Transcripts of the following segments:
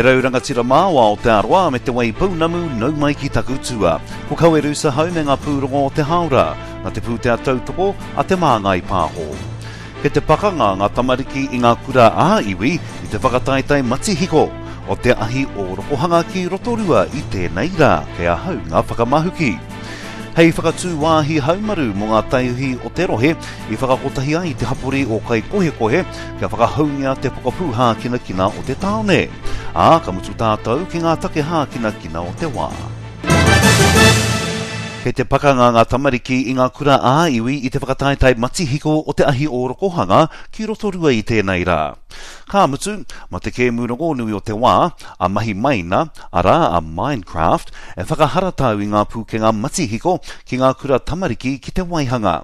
rau rangatira mā o Aotearoa me Te Waipounamu nau mai ki taku tua. Ko Kawerusa hau me ngā pūrongo o te hāora, na te pūtea tautoko a Te Māngai Pāho. Kei te pakanga ngā tamariki i ngā kura ā-iwi i te whakataetae matihiko o te ahi ōrokohanga ki Rotorua i tēnei rā, kei ahau ngā whakamahuki. Hei whakatū wāhi haumaru mō ngā taiohi o te rohe i whakakotahi ai te hapori o Kaikohekohe kia whakahoungia te pokapū hākinakina o te tāone. Ā, ka mutu tātou ki ngā take hākinakina o te wā. Kei te pakanga ngā tamariki i ngā kura ā-iwi i te whakataetae matihiko o te ahi ōrokohanga ki Rotorua i tēnei rā. Ka mutu, ma te kēmu rongonui o te wā, a Mahi Maina, arā, a Minecraft, e whakaharatau i ngā pūkenga matihiko ki ngā kura tamariki ki te waihanga.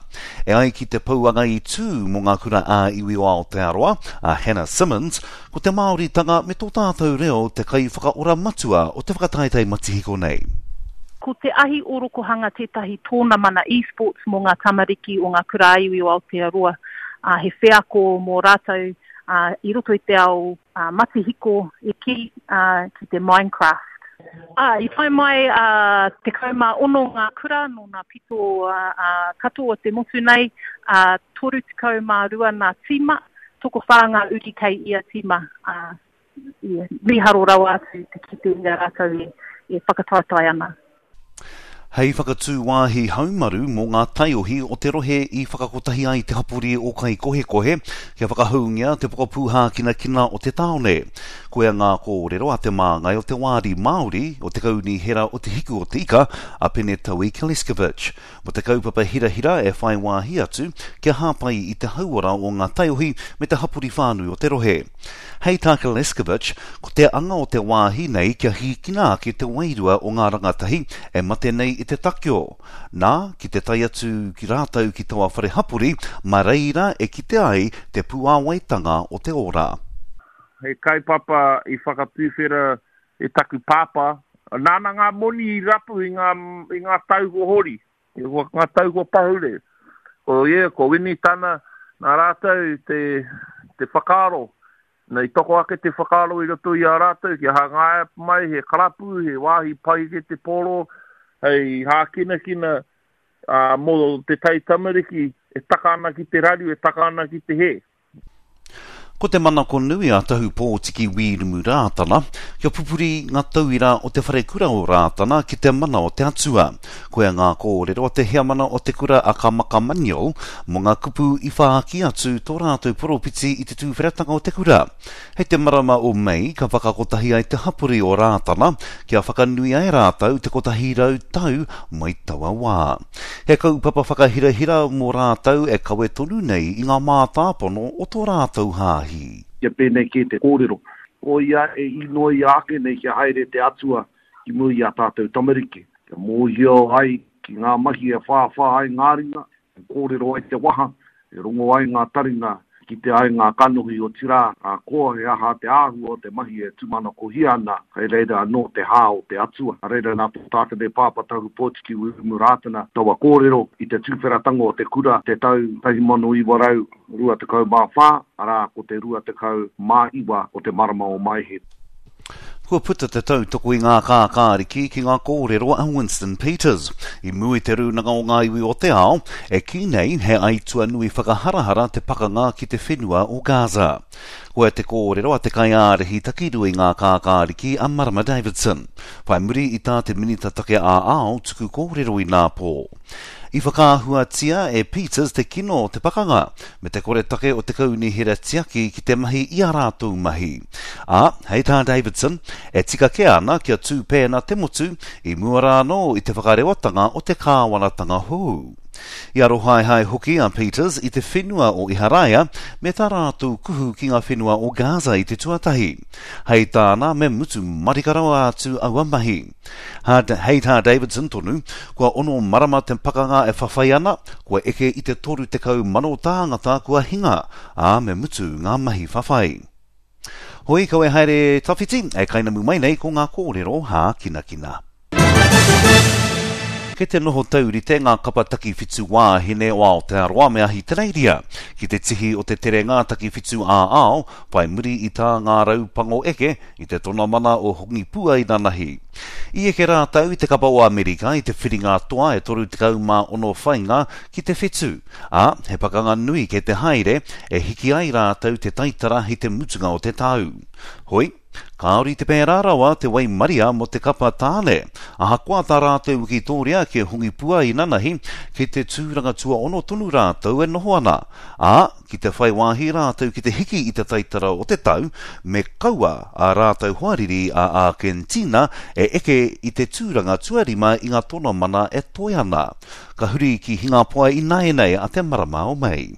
E ai ki te pouanga i tū mō ngā kura ā-iwi o Aotearoa, a Hannah Simmonds, ko te Māoritanga me tō tātou reo te kaiwhakaora matua o te whakataetae matihiko nei. Ko te ahi ōrokohanga tētahi tōnamana esports mō ngā tamariki o ngā kura ā-iwi o Aotearoa, ā, he wheako mō rātou i roto i te ao matihiko e kī ki te Minecraft. Ā, i tae mai 16 ngā kura nō ngā pito katoa o te motu nei, ā, 32 ngā tīma, tokowhā ngā uri kei ia tīma, ā, mīharo rawa atu te kite i a rātou e whakataetae ana. Hei whakatū wāhi haumaru mō ngā taiohi o te rohe i whakakotahi ai te hapori o Kaikohekohe kia whakahoungia te pokapū hākinakina o te tāone. Koia ngā kōrero a te māngai o te Wāri Māori o te Kaunihera o Te Hiku o Te Ika, a Pene Taui Kleskovic, mō te kaupapa hirahira e whai wāhi atu kia hāpai i te hauora o ngā taiohi me te hapori whānui o te rohe. Hei tā Kleskovic, ko te anga o te wāhi nei kia hīkina ake te wairua o ngā rangatahi e mate nei i te takeo. Nā, ki te tae atu ki rātou ki taua whare hapori, mā reira e kite ai te puāwaitanga o te ora. He kaupapa i whakatuwhera e taku pāpā, nāna ngā moni i rapu i ngā, i ngā tau kua hori. I ngā tau kua pahure, ko ia, ko Winitana, nā rātou te, te whakaaro, i toko ake te whakaaro i roto i a rātou kia hangaia mai he karapu, he wāhi pai ki te pōro, hei hākinakina ā, mō te taitamariki e taka ana ki te raru, e taka ana ki te hē. Ko te manako nui a Tahu Pōtiki Wīrumu Rātana, kia pupuri ngā tauira o te wharekura o Rātana ki te mana o te Atua. Koia ngā kōrero a te heamana o te kura a Kamaka Manuel mō ngā kupu i whāki atu tō rātou poropiti i te tūwheratanga o te kura. Hei te marama o Mei ka whakakotahi ai te hapori o Rātana kia whakanuia e rātou te 100 tau mai taua wā. He kaupapa whakahirahira mō rātou e kawe tonu nei i ngā mātāpono o tō rātou hāhi. Kia pēnei kē te kōrero. Ko ia e īnoia ake nei kia haere te Atua ki mua i ā tātou tamariki, kia mōhio ai ki ngā mahi e whāwhā ai ngā ringa, E kōrero ai te waha, e rongo ai ngā taringa, e kite ai ngā kanohi, otirā, ka koa he aha te āhua o te mahi e tūmanakohia ana, kei reira anō te hā o te Atua. Nā reira, nā tō tātou nei Pāpā Tahu Pōtiki Wiremu Rātana taua kōrero i te tuwheratanga o te kura te tau 1924, arā, ko te 29 o te marama o Maehe. Kua puta te tautoko i ngā kākāriki ki ngā kōrero a Winston Peters i mua i te Rūnanga o Ngā Iwi o te Ao, e kī nei he aitua nui whakaharahara te pakanga ki te whenua o Gaza. Koia te kōrero a te kaiārahi takirua i ngā kākāriki a Marama Davidson, whai muri i tā te Minita Take ā-Ao tuku kōrero inapō. I whakaahuatia e Peters te kino o te pakanga, me te koretake o te kaunihera tiaki ki te mahi i ā rātou mahi. Ā, hei tā Davidson, e tika kē ana kia tū pēnā te motu i mua rā anō i te whakarewatanga o te kāwanatanga hou. I arohaehae hoki a Peters i te whenua o Iharaia me tā rātou kuhu ki ngā whenua o Gaza i te tuatahi. Hei tāna me mutu marika rawa atu aua mahi. Hei tā Davidson tonu, kua ono marama te pakanga e whawhai ana, kua eke i te 30,000 tāngata kua hinga, ā, me mutu ngā mahi whawhai. Hoi, kawe haere tawhiti, e kainamu mai nei ko ngā kōrero hākinakina. Kei te noho taurite ngā kapa takiwhitu wāhine o Aotearoa me Ahitereiria ki te tihi o te terenga takiwhitu ā-ao whai muri i tā ngā raupango eke i te tonamana o Hongipua inanahi. I eke rātou i te kapa o Amerika i te whiringa toa e 36 whainga ki te whetu, ā, he pakanga nui kei te haere e hiki ai rātou te taitara i te mutunga o te tau. Hoi, kāore i te pērā rawa te waimaria mō te kapa tāne. Ahakoa tā rātou wikitōria ki Hongipua inanahi, kei te tūranga tuaono tonu rātou e noho ana, ā, ki te whai wāhi rātou ki te hiki i te taitara o te tau, me kaua ā rātou hoariri a Ākentīna e eke i te tūranga tuarima i ngā tonamana e toe ana. Ka huri ki Hingapoa ināianei a te marama o Mei.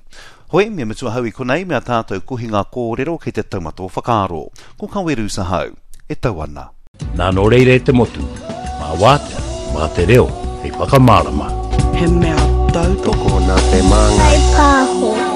Hoi, me mutu ahau i konei me a tātou kohinga kōrero kei te taumata o whakaaro. Ko Kawerus ahau. E tau ana. Nā nō reira e te motu, mā wātea, mā te reo hei whakamārama. He mea tautoko. Tokona te māngai. Whaipāho.